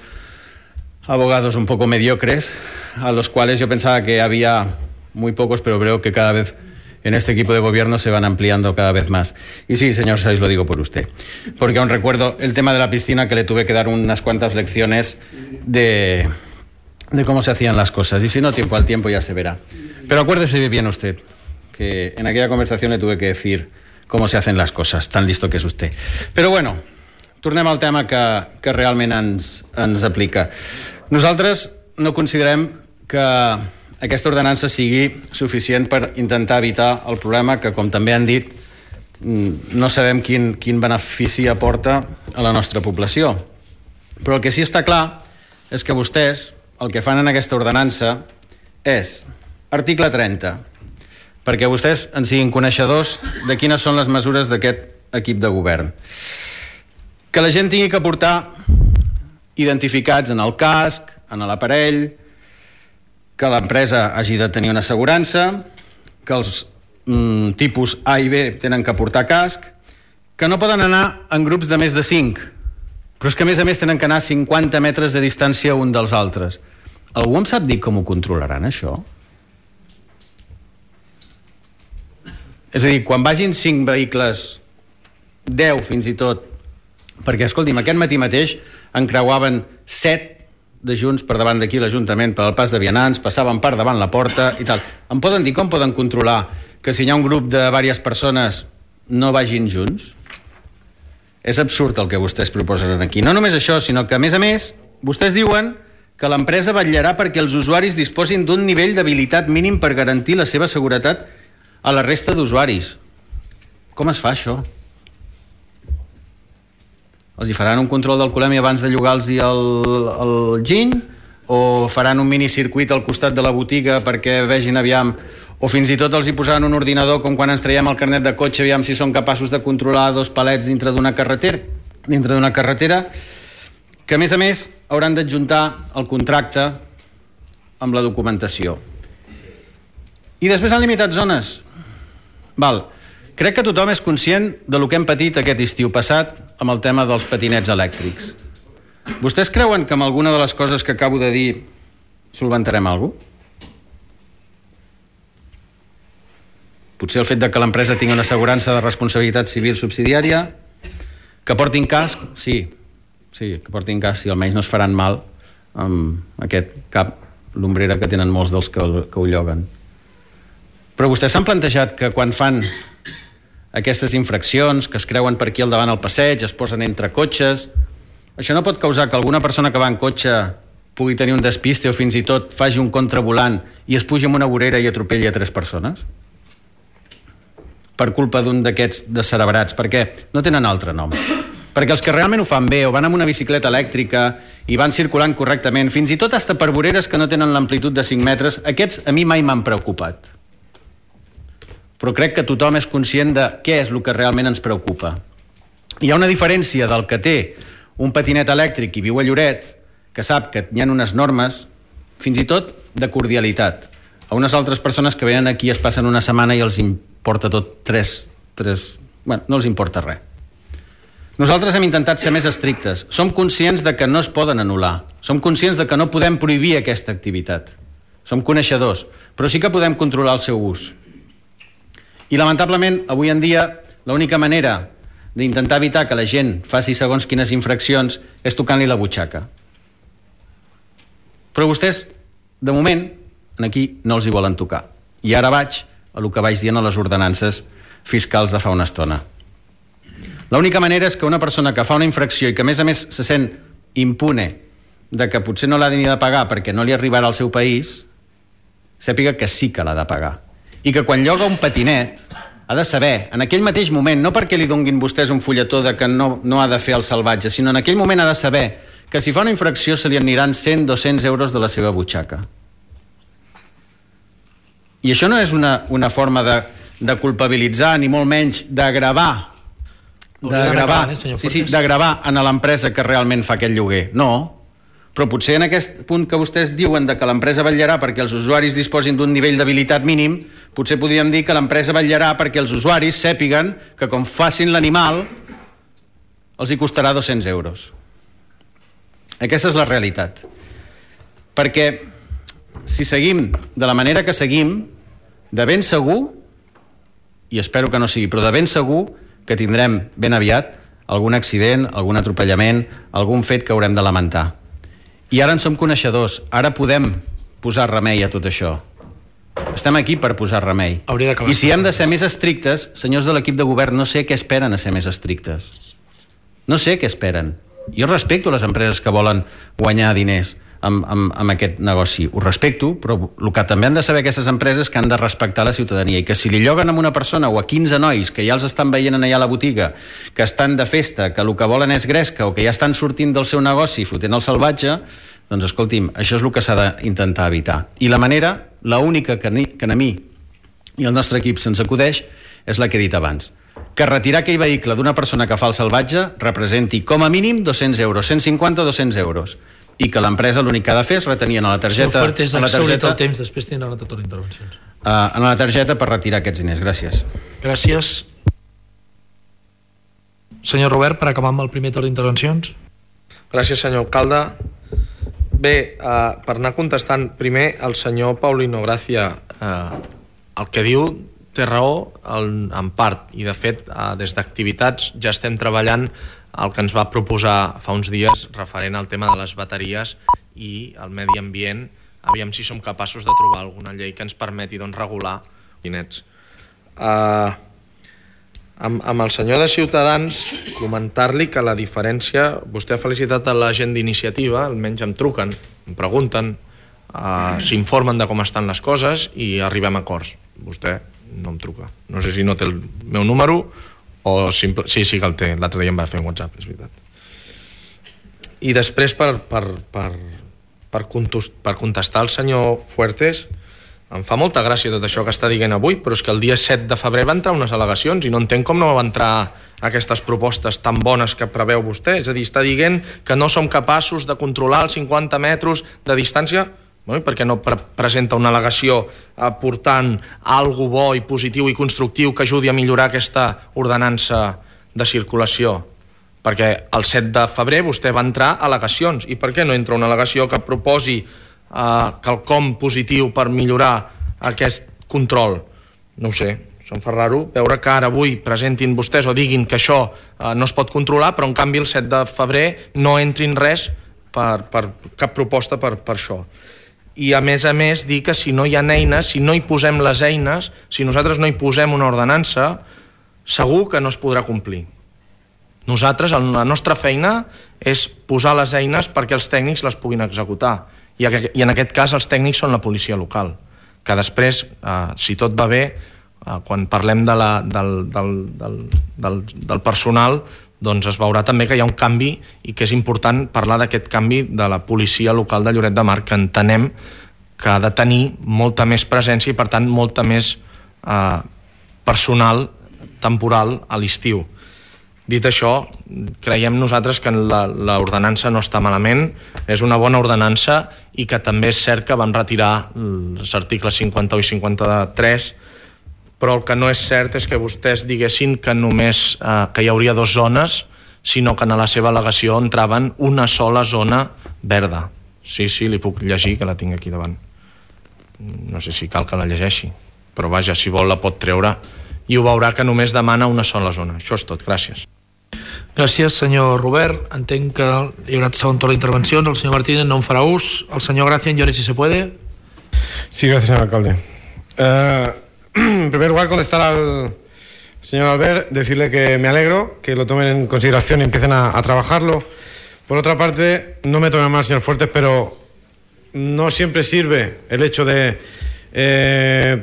abogados un poco mediocres, a los cuales yo pensaba que había muy pocos, pero creo que cada vez en este equipo de gobierno se van ampliando cada vez más. Y sí, señor Saiz, lo digo por usted, porque aún recuerdo el tema de la piscina, que le tuve que dar unas cuantas lecciones de cómo se hacían las cosas, y si no, tiempo al tiempo ya se verá. Pero acuérdese bien usted que en aquella conversación le tuve que decir cómo se hacen las cosas, tan listo que és usted. Però bueno, tornem al tema que realment ens aplica. Nosaltres no considerem que aquesta ordenança sigui suficient per intentar evitar el problema que, com també han dit, no sabem quin benefici aporta a la nostra població. Però el que sí està clar és que vostès el que fan en aquesta ordenança és article 30, perquè vostès en siguin coneixedors de quines són les mesures d'aquest equip de govern. Que la gent tingui que portar identificats en el casc, en l'aparell, que l'empresa hagi de tenir una assegurança, que els tipus A i B tenen que portar casc, que no poden anar en grups de més de 5, però és que a més tenen que anar a 50 metres de distància un dels altres. Algú em sap dir com ho controlaran, això? És a dir, quan vagin 5 vehicles, 10 fins i tot, perquè, escolti'm, aquest matí mateix encreuaven 7 de Junts per davant d'aquí l'Ajuntament per al pas de vianants, passaven per davant la porta i tal. Em poden dir com poden controlar que si hi ha un grup de diverses persones no vagin junts? És absurd el que vostès proposen aquí. No només això, sinó que, a més, vostès diuen que l'empresa vetllarà perquè els usuaris disposin d'un nivell d'habilitat mínim per garantir la seva seguretat a la resta d'usuaris. Com es fa, això? Els hi faran un control d'alcoholèmia abans de llogar-los el giny? O faran un minicircuit al costat de la botiga perquè vegin aviam... O fins i tot els hi posaran un ordinador com quan ens traiem el carnet de cotxe, aviam si són capaços de controlar 2 palets dintre d'una carretera, que, a més, hauran d'adjuntar el contracte amb la documentació. I després han limitat zones. Val. Crec que tothom és conscient de lo que hem patit aquest estiu passat amb el tema dels patinets elèctrics. Vostès creuen que amb alguna de les coses que acabo de dir solventarem alguna cosa? Potser el fet de que l'empresa tingui una assegurança de responsabilitat civil subsidiària, que portin casc, sí, que portin casc, i almenys no es faran mal amb aquest cap l'ombrera que tenen molts dels que ho lloguen. Però vostès s'han plantejat que quan fan aquestes infraccions, que es creuen per aquí al davant al passeig, es posen entre cotxes, això no pot causar que alguna persona que va en cotxe pugui tenir un despiste o fins i tot faci un contravolant i es pugi en una vorera i atropelli a 3 persones? Per culpa d'un d'aquests descerebrats, perquè no tenen altre nom. Perquè els que realment ho fan bé, o van amb una bicicleta elèctrica i van circulant correctament, fins i tot hasta per voreres que no tenen l'amplitud de 5 metres, aquests a mi mai m'han preocupat. Però crec que tothom és conscient de què és el que realment ens preocupa. Hi ha una diferència del que té un patinet elèctric i viu a Lloret, que sap que hi ha unes normes, fins i tot de cordialitat, a unes altres persones que venen aquí, es passen una setmana i els importa tot bueno, no els importa res. Nosaltres hem intentat ser més estrictes. Som conscients de que no es poden anul·lar. Som conscients de que no podem prohibir aquesta activitat. Som coneixedors, però sí que podem controlar el seu ús. I lamentablement, avui en dia, l'única manera d'intentar evitar que la gent faci segons quines infraccions és tocant-li la butxaca. Però vostès, de moment, aquí no els hi volen tocar. I ara vaig a el que vaig dient a les ordenances fiscals de fa una estona. L'única manera és que una persona que fa una infracció i que a més se sent impune de que potser no l'ha ni de pagar perquè no li arribarà al seu país, sàpiga que sí que l'ha de pagar. I que quan lloga un patinet ha de saber, en aquell mateix moment, no perquè li donguin vostès un fulletó de que no ha de fer el salvatge, sinó en aquell moment ha de saber que si fa una infracció se li aniran 100-200 euros de la seva butxaca. I això no és una forma de culpabilitzar, ni molt menys d'agravar en l'empresa que realment fa aquest lloguer. No, però potser en aquest punt que vostès diuen de que l'empresa vetllarà perquè els usuaris disposin d'un nivell d'habilitat mínim, potser podríem dir que l'empresa vetllarà perquè els usuaris sàpiguen que com facin l'animal els hi costarà 200 euros. Aquesta és la realitat. Perquè si seguim de la manera que seguim, de ben segur, i espero que no sigui, però de ben segur que tindrem ben aviat algun accident, algun atropellament, algun fet que haurem de lamentar. I ara en som coneixedors, ara podem posar remei a tot això. Estem aquí per posar remei. I si hem de ser més estrictes, senyors de l'equip de govern, no sé què esperen a ser més estrictes. No sé què esperen. Jo respecto les empreses que volen guanyar diners, amb aquest negoci. Ho respecto, però el que també han de saber aquestes empreses que han de respectar la ciutadania i que si li lloguen a una persona o a 15 nois que ja els estan veient allà a la botiga, que estan de festa, que el que volen és gresca o que ja estan sortint del seu negoci fotent el salvatge, doncs escolti'm, això és el que s'ha d'intentar evitar. I la manera, l'única que a mi i el nostre equip se'ns acudeix és la que he dit abans, que retirar aquell vehicle d'una persona que fa el salvatge representi com a mínim 200 euros, 150 o 200 euros, i que l'empresa l'únic que ha de fer és retenir a la targeta... el temps, després tindrà tota la intervenció. En la targeta per retirar aquests diners. Gràcies. Gràcies. Senyor Robert, per acabar amb el primer torn d'intervencions. Gràcies, senyor alcalde. Bé, per anar contestant primer el senyor Paulino Gracia, el que diu té raó en part, i de fet des d'activitats ja estem treballant el que ens va proposar fa uns dies referent al tema de les bateries i el medi ambient, aviam si som capaços de trobar alguna llei que ens permeti regular nets. Amb el senyor de Ciutadans comentar-li que la diferència, vostè ha felicitat a la gent d'iniciativa, almenys em truquen, em pregunten, s'informen de com estan les coses i arribem a acords. Vostè no em truca, no sé si no té el meu número o sí que el té, l'altre dia em va fer un WhatsApp, és veritat. I després per contestar al senyor Fuertes, em fa molta gràcia tot això que està dient avui, però és que el dia 7 de febrer va entrar unes al·legacions i no entenc com no va entrar aquestes propostes tan bones que preveu vostè. És a dir, està dient que no som capaços de controlar els 50 metres de distància. Bueno, per què no presenta una al·legació aportant alguna bo i positiu i constructiu que ajudi a millorar aquesta ordenança de circulació? Perquè el 7 de febrer vostè va entrar al·legacions. I per què no entra una al·legació que proposi quelcom positiu per millorar aquest control? No ho sé, se'm fa raro veure que ara avui presentin vostès o diguin que això no es pot controlar, però en canvi el 7 de febrer no entrin res per cap proposta per això. I a més dir que si no hi ha eines, si no hi posem les eines, si nosaltres no hi posem una ordenança, segur que no es podrà complir. Nosaltres, la nostra feina és posar les eines perquè els tècnics les puguin executar. I en aquest cas els tècnics són la policia local, que després, si tot va bé, quan parlem del personal, doncs es veurà també que hi ha un canvi i que és important parlar d'aquest canvi de la policia local de Lloret de Mar, que entenem que ha de tenir molta més presència i per tant molta més personal temporal a l'estiu. Dit això, creiem nosaltres que l'ordenança no està malament, és una bona ordenança i que també és cert que van retirar els articles 51 i 53, però el que no és cert és que vostès diguessin que només que hi hauria 2 zones, sinó que en la seva al·legació entraven una sola zona verda. Sí, li puc llegir, que la tinc aquí davant. No sé si cal que la llegeixi, però vaja, si vol la pot treure i ho veurà que només demana una sola zona. Això és tot, gràcies. Gràcies, senyor Robert. Entenc que hi haurà segon torn d'intervencions. El senyor Martínez no en farà ús. El senyor Gracia, en llore si se puede. Sí, gracias, señor alcalde. En primer lugar, contestar al señor Albert, decirle que me alegro, que lo tomen en consideración y empiecen a trabajarlo. Por otra parte, no me tome mal, señor Fuertes, pero no siempre sirve el hecho de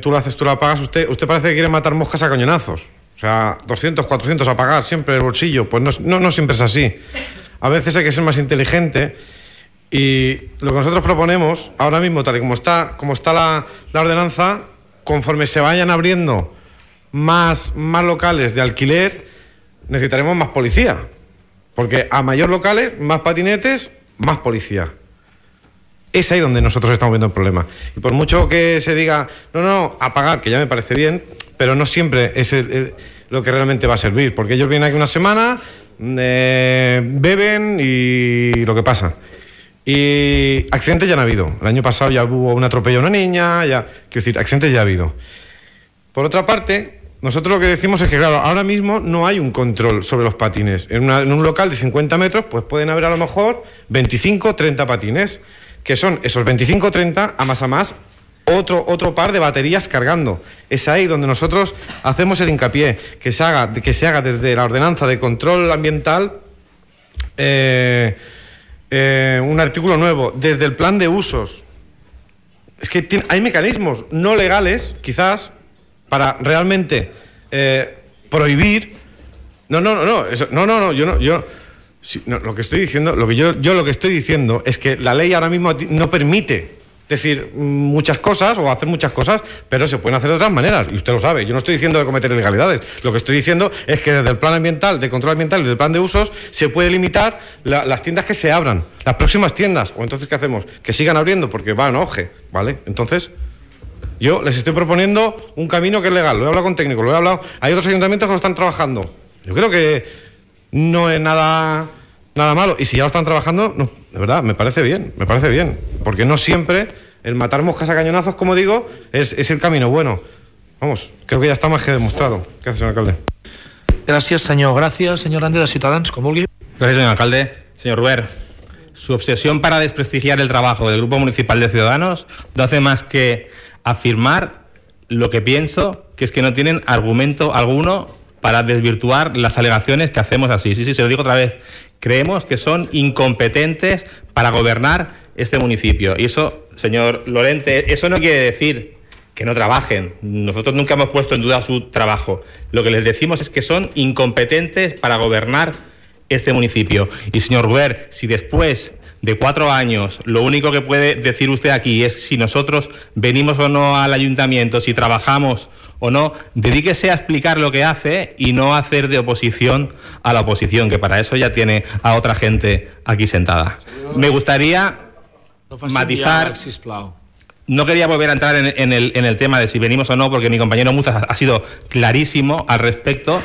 tú lo haces, tú lo pagas. Usted parece que quiere matar moscas a cañonazos. O sea, 200, 400 a pagar siempre el bolsillo. Pues no siempre es así. A veces hay que ser más inteligente. Y lo que nosotros proponemos, ahora mismo, tal y como está la ordenanza, conforme se vayan abriendo más locales de alquiler, necesitaremos más policía. Porque a mayor locales, más patinetes, más policía. Es ahí donde nosotros estamos viendo el problema. Y por mucho que se diga, no, a pagar, que ya me parece bien, pero no siempre es lo que realmente va a servir. Porque ellos vienen aquí una semana, beben y lo que pasa. Y accidentes ya han habido. El año pasado ya hubo un atropello a una niña, quiero decir, accidentes ya ha habido. Por otra parte, nosotros lo que decimos es que, claro, ahora mismo no hay un control sobre los patines. En un local de 50 metros, pues pueden haber a lo mejor 25 o 30 patines, que son esos 25 o 30 a más otro par de baterías cargando. Es ahí donde nosotros hacemos el hincapié, que se haga desde la ordenanza de control ambiental un artículo nuevo, desde el plan de usos. Es que hay mecanismos no legales, quizás, para realmente prohibir. Lo que estoy diciendo, lo que estoy diciendo es que la ley ahora mismo no permite decir muchas cosas o hacer muchas cosas, pero se pueden hacer de otras maneras, y usted lo sabe. Yo no estoy diciendo de cometer ilegalidades, lo que estoy diciendo es que desde el plan ambiental, de control ambiental y del plan de usos se puede limitar las tiendas que se abran, las próximas tiendas. O entonces, ¿qué hacemos? Que sigan abriendo porque va en auge, ¿vale? Entonces, yo les estoy proponiendo un camino que es legal, lo he hablado con técnicos, hay otros ayuntamientos que lo están trabajando. Yo creo que no es nada malo, y si ya lo están trabajando, no, de verdad, me parece bien, porque no siempre el matar moscas a cañonazos, como digo, es el camino bueno. Vamos, creo que ya está más que demostrado. Gracias, señor alcalde. Gràcies, senyor. Gràcies, senyor Hernández, de Ciutadans, com vulgui. Gracias, señor alcalde. Señor Ruber, su obsesión para desprestigiar el trabajo del Grupo Municipal de Ciudadanos no hace más que afirmar lo que pienso, que es que no tienen argumento alguno para desvirtuar las alegaciones que hacemos así. Sí, se lo digo otra vez. Creemos que son incompetentes para gobernar este municipio. Y eso, señor Lorente, eso no quiere decir que no trabajen. Nosotros nunca hemos puesto en duda su trabajo. Lo que les decimos es que son incompetentes para gobernar este municipio. Y, señor Ruber, si después de 4 años lo único que puede decir usted aquí es si nosotros venimos o no al ayuntamiento, si trabajamos o no, dedíquese a explicar lo que hace y no a hacer de oposición a la oposición, que para eso ya tiene a otra gente aquí sentada. Me gustaría matizar. No quería volver a entrar en el tema de si venimos o no, porque mi compañero Muzas ha sido clarísimo al respecto.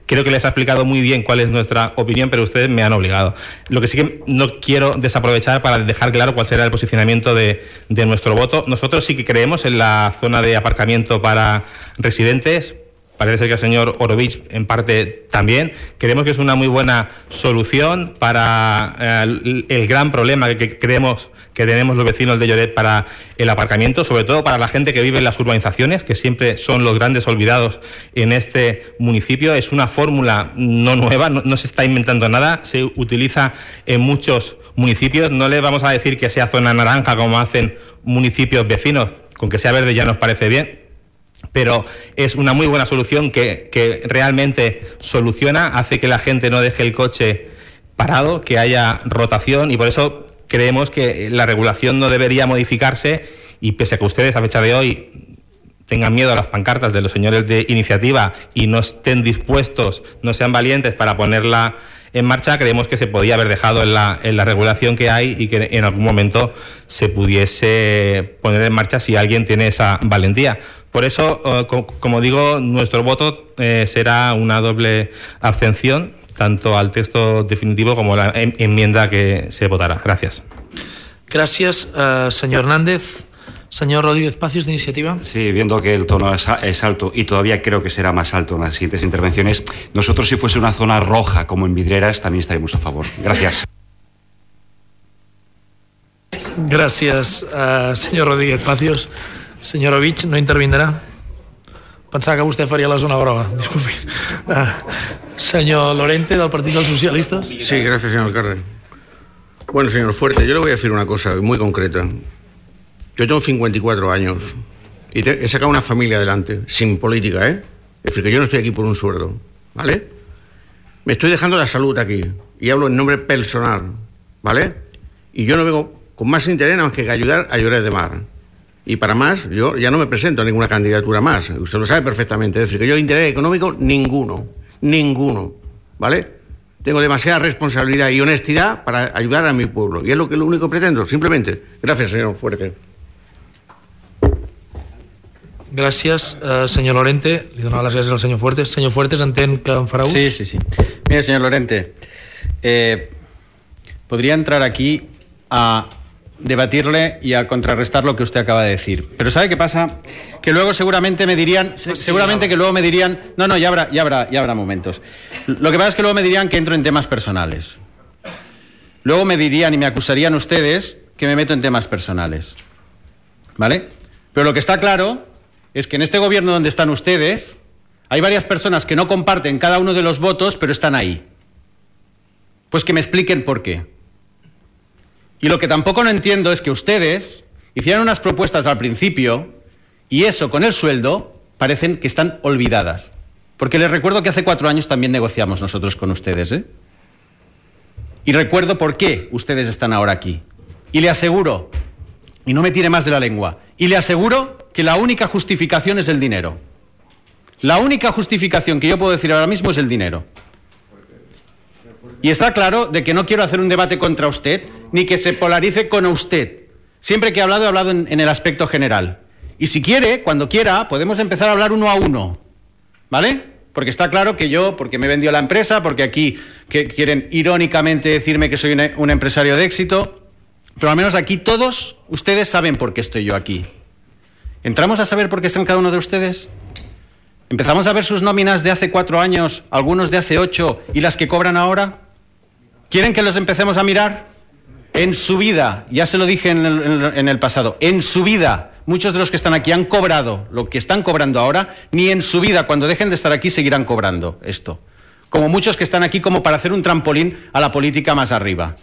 Creo que les ha explicado muy bien cuál es nuestra opinión, pero ustedes me han obligado. Lo que sí que no quiero desaprovechar para dejar claro cuál será el posicionamiento de nuestro voto. Nosotros sí que creemos en la zona de aparcamiento para residentes. Parece ser que el señor Orovich en parte también. Creemos que es una muy buena solución para el gran problema que creemos que tenemos los vecinos de Lloret para el aparcamiento, sobre todo para la gente que vive en las urbanizaciones, que siempre son los grandes olvidados en este municipio. Es una fórmula no nueva, no se está inventando nada, se utiliza en muchos municipios. No les vamos a decir que sea zona naranja como hacen municipios vecinos, con que sea verde ya nos parece bien, pero es una muy buena solución que realmente soluciona, hace que la gente no deje el coche parado, que haya rotación, y por eso creemos que la regulación no debería modificarse, y pese a que ustedes a fecha de hoy tengan miedo a las pancartas de los señores de iniciativa y no estén dispuestos, no sean valientes para ponerla en marcha, creemos que se podía haber dejado en la regulación que hay y que en algún momento se pudiese poner en marcha si alguien tiene esa valentía. Por eso, como digo, nuestro voto será una doble abstención, tanto al texto definitivo como a la enmienda que se votará. Gracias. Gracias, señor Hernández. Señor Rodríguez Pacios, de Iniciativa. Sí, viendo que el tono es alto y todavía creo que será más alto en las siguientes intervenciones, nosotros si fuese una zona roja como en Vidreras también estaríamos a favor. Gracias. Gràcies, senyor Rodríguez Pacios. Senyor Orovich, no intervindrà? Pensava que vostè faria la zona groga. Disculpi. Señor Lorente, del Partido de los Socialistas. Sí, gracias, señor alcalde. Bueno, señor Fuerte, yo le voy a decir una cosa muy concreta. Yo tengo 54 años y he sacado una familia adelante, sin política, ¿eh? Es decir, que yo no estoy aquí por un sueldo, ¿vale? Me estoy dejando la salud aquí y hablo en nombre personal, ¿vale? Y yo no vengo con más interés más que ayudar a Lloret de Mar. Y para más, yo ya no me presento a ninguna candidatura más. Usted lo sabe perfectamente. Es decir, que yo interés económico ninguno, ¿vale? Tengo demasiada responsabilidad y honestidad para ayudar a mi pueblo. Y es lo único que pretendo, simplemente. Gracias, señor Fuerte. Gràcies, senyor Lorente. Li donava les gràcies al senyor Fuertes. Senyor Fuertes, entén que en farà ús? Sí. Mire, señor Lorente, podría entrar aquí a debatirle y a contrarrestar lo que usted acaba de decir. Pero ¿sabe qué pasa? Que luego seguramente me dirían, no, ya habrá momentos. Lo que pasa es que luego me dirían que entro en temas personales. Luego me dirían y me acusarían ustedes que me meto en temas personales. ¿Vale? Pero lo que está claro es que en este gobierno donde están ustedes hay varias personas que no comparten cada uno de los votos, pero están ahí. Pues que me expliquen por qué. Y lo que tampoco no entiendo es que ustedes hicieron unas propuestas al principio y eso con el sueldo parecen que están olvidadas. Porque les recuerdo que hace 4 años también negociamos nosotros con ustedes, ¿eh? Y recuerdo por qué ustedes están ahora aquí. Y le aseguro, y no me tire más de la lengua, y le aseguro que la única justificación es el dinero. La única justificación que yo puedo decir ahora mismo es el dinero. Y está claro de que no quiero hacer un debate contra usted, ni que se polarice con usted. Siempre que he hablado en el aspecto general. Y si quiere, cuando quiera, podemos empezar a hablar uno a uno. ¿Vale? Porque está claro que yo, porque me vendió la empresa, porque aquí quieren irónicamente decirme que soy un empresario de éxito, pero al menos aquí todos ustedes saben por qué estoy yo aquí. ¿Entramos a saber por qué están cada uno de ustedes? ¿Empezamos a ver sus nóminas de hace 4 años, algunos de hace 8 y las que cobran ahora? ¿Quieren que los empecemos a mirar? En su vida, ya se lo dije en el pasado, en su vida, muchos de los que están aquí han cobrado lo que están cobrando ahora, ni en su vida, cuando dejen de estar aquí, seguirán cobrando esto. Como muchos que están aquí como para hacer un trampolín a la política más arriba.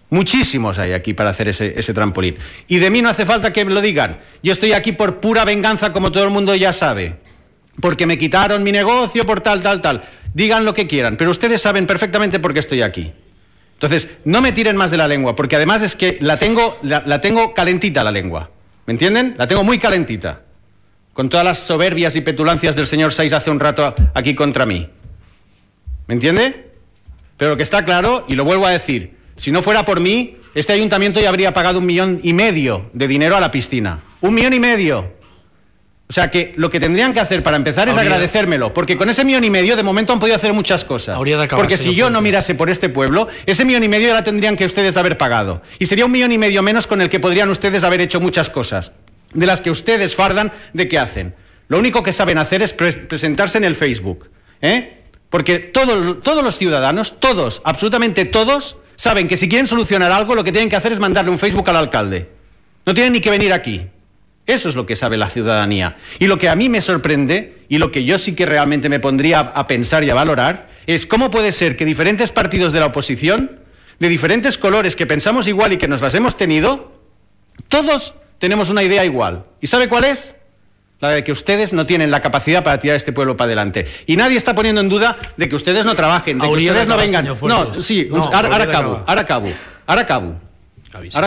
Muchísimos hay aquí para hacer ese trampolín. Y de mí no hace falta que me lo digan. Yo estoy aquí por pura venganza, como todo el mundo ya sabe. Porque me quitaron mi negocio por tal. Digan lo que quieran, pero ustedes saben perfectamente por qué estoy aquí. Entonces, no me tiren más de la lengua, porque además es que la tengo calentita la lengua. ¿Me entienden? La tengo muy calentita. Con todas las soberbias y petulancias del señor Saiz hace un rato aquí contra mí. ¿Me entiende? Pero lo que está claro, y lo vuelvo a decir, si no fuera por mí, este ayuntamiento ya habría pagado 1,5 millones de dinero a la piscina. 1,5 millones. O sea que lo que tendrían que hacer para empezar es agradecérmelo, porque con ese 1,5 millones de momento han podido hacer muchas cosas. Porque si yo no mirase por este pueblo, ese 1,5 millones ya la tendrían que ustedes haber pagado. Y sería 1,5 millones menos con el que podrían ustedes haber hecho muchas cosas, de las que ustedes fardan de que hacen. Lo único que saben hacer es presentarse en el Facebook, ¿eh? Porque todos los ciudadanos, todos, absolutamente todos, saben que si quieren solucionar algo, lo que tienen que hacer es mandarle un Facebook al alcalde. No tienen ni que venir aquí. Eso es lo que sabe la ciudadanía. Y lo que a mí me sorprende, y lo que yo sí que realmente me pondría a pensar y a valorar, es cómo puede ser que diferentes partidos de la oposición, de diferentes colores que pensamos igual y que nos las hemos tenido, todos tenemos una idea igual. ¿Y sabe cuál es? La de que ustedes no tienen la capacidad para tirar este pueblo para adelante. Y nadie está poniendo en duda de que ustedes no trabajen, de que ustedes no vengan. No, sí, ahora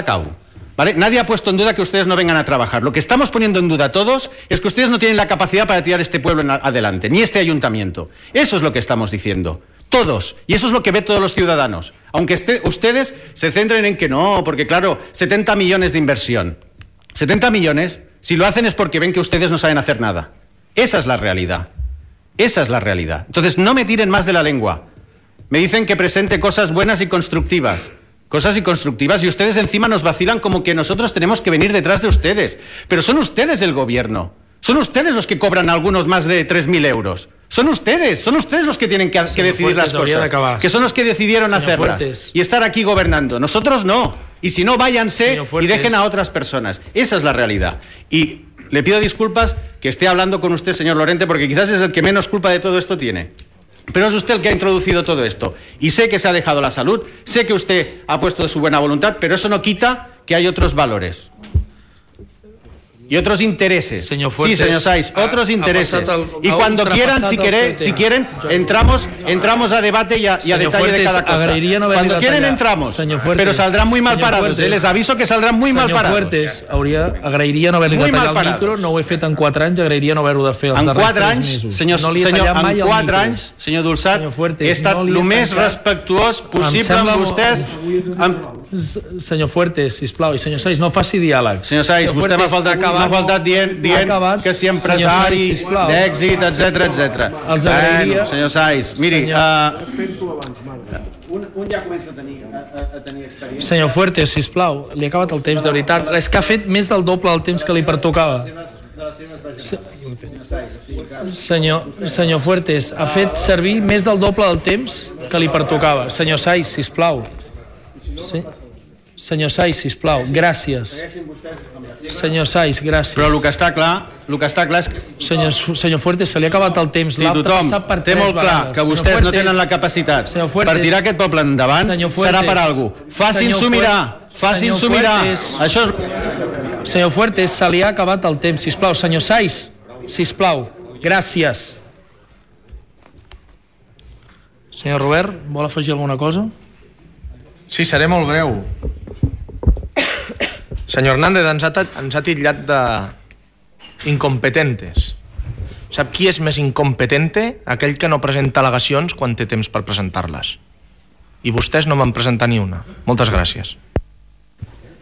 acabo. ¿Vale? Nadie ha puesto en duda que ustedes no vengan a trabajar. Lo que estamos poniendo en duda todos es que ustedes no tienen la capacidad para tirar este pueblo adelante, ni este ayuntamiento. Eso es lo que estamos diciendo. Todos. Y eso es lo que ven todos los ciudadanos. Aunque ustedes se centren en que no, porque claro, 70 millones de inversión. 70 millones, si lo hacen es porque ven que ustedes no saben hacer nada. Esa es la realidad. Esa es la realidad. Entonces no me tiren más de la lengua. Me dicen que presente cosas buenas y constructivas. Cosas y constructivas, y ustedes encima nos vacilan como que nosotros tenemos que venir detrás de ustedes. Pero son ustedes el gobierno. Son ustedes los que cobran a algunos más de 3.000 euros. Son ustedes los que tienen que decidir las cosas. Que son los que decidieron hacerlas. Y estar aquí gobernando. Nosotros no. Y si no, váyanse y dejen a otras personas. Esa es la realidad. Y le pido disculpas que esté hablando con usted, señor Lorente, porque quizás es el que menos culpa de todo esto tiene. Pero es usted el que ha introducido todo esto. Y sé que se ha dejado la salud, sé que usted ha puesto de su buena voluntad, pero eso no quita que hay otros valores. Y otros intereses. Señor Fuertes, sí, señor Saiz, otros intereses. Y cuando quieran, si quieren, entramos a debate y a detalle Fuertes, de cada cosa. Cuando quieren entramos, Fuertes, pero saldrán muy mal parados. Fuertes, les aviso que saldran muy mal parados. Fuertes, agrairia no haver-li de tallar el micro, no ho he fet en 4 anys, agrairia no haver-ho de fer els darrers 3 mesos. En 4 anys, senyor Dulçat, he estat el més respectuós possible amb vostès. Senyor Fuertes, sisplau, i senyor Saiz, no faci diàleg. Senyor Saiz, vostè m'ha faltat dient que si empresari d'èxit, etc. Bueno, senyor Saiz, miri... Un ja comença a tenir experiència. Senyor Fuertes, sisplau, li ha acabat el temps, de veritat. És que ha fet més del doble del temps que li pertocava. Senyor Fuertes, ha fet servir més del doble del temps que li pertocava. Senyor Saiz, sisplau. Sí. Senyor Saiz, sisplau, gràcies. Senyor Saiz, gràcies. Però el que està clar és que... Senyor Fuertes, se li ha acabat el temps. Si tothom té molt clar que vostès no tenen la capacitat per tirar aquest poble endavant, serà per alguna cosa. Facin-s'ho mirar, facin-s'ho mirar. Senyor Fuertes, se li ha acabat el temps, sisplau. Senyor Saiz, sisplau, gràcies. Senyor Robert, vol afegir alguna cosa? Sí, seré molt breu. Senyor Hernández ens ha titllat d'incompetentes. Sap qui és més incompetente? Aquell que no presenta al·legacions quan té temps per presentar-les. I vostès no m'han presentat ni una. Moltes gràcies.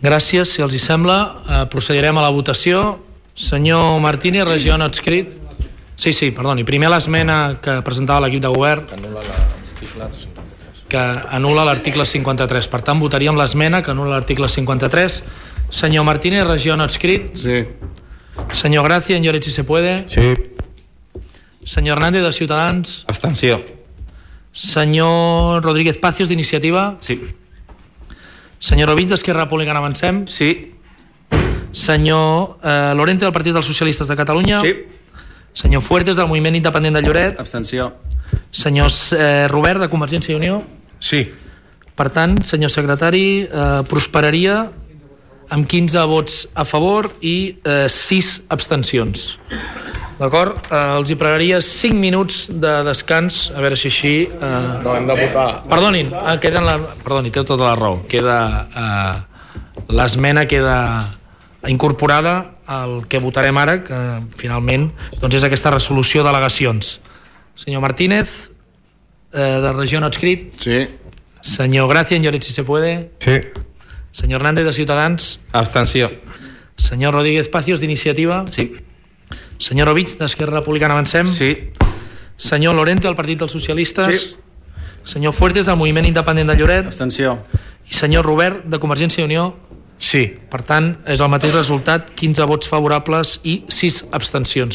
Gràcies. Si els hi sembla, procedirem a la votació. Senyor Martínez, regió no adscrit. Sí, perdoni. Primer l'esmena que presentava l'equip de govern, que anul·la l'article 53. Per tant, votaríem l'esmena que anul·la l'article 53. Senyor Martínez, regió no adscrit. Sí. Senyor Gracia, en Lloret, si se puede. Sí. Senyor Hernández, de Ciutadans. Abstenció. Senyor Rodríguez Pacios, d'Iniciativa. Sí. Senyor Ovins, d'Esquerra Republicana, Avancem. Sí. Senyor Lorente, del Partit dels Socialistes de Catalunya. Sí. Senyor Fuertes, del Moviment Independent de Lloret. Abstenció. Senyor Robert, de Convergència i Unió. Sí. Per tant, senyor secretari, prosperaria amb 15 vots a favor i 6 abstencions. D'acord? Els hi pregaria 5 minuts de descans, a veure si així... No, hem de votar. Perdonin, perdoni, té tota la raó. L'esmena queda incorporada al que votarem ara, que finalment doncs és aquesta resolució d'al·legacions. Senyor Martínez, de regió no adscrit. Sí. Senyor Gracia, en Lloret, si se puede. Sí. Senyor Hernández, de Ciutadans. Abstenció. Senyor Rodríguez Pacios, d'Iniciativa. Sí. Senyor Ovich, d'Esquerra Republicana, Avancem. Sí. Senyor Lorente, del Partit dels Socialistes. Sí. Senyor Fuertes, del Moviment Independent de Lloret. Abstenció. I senyor Robert, de Convergència i Unió. Sí. Per tant, és el mateix resultat, 15 vots favorables i 6 abstencions.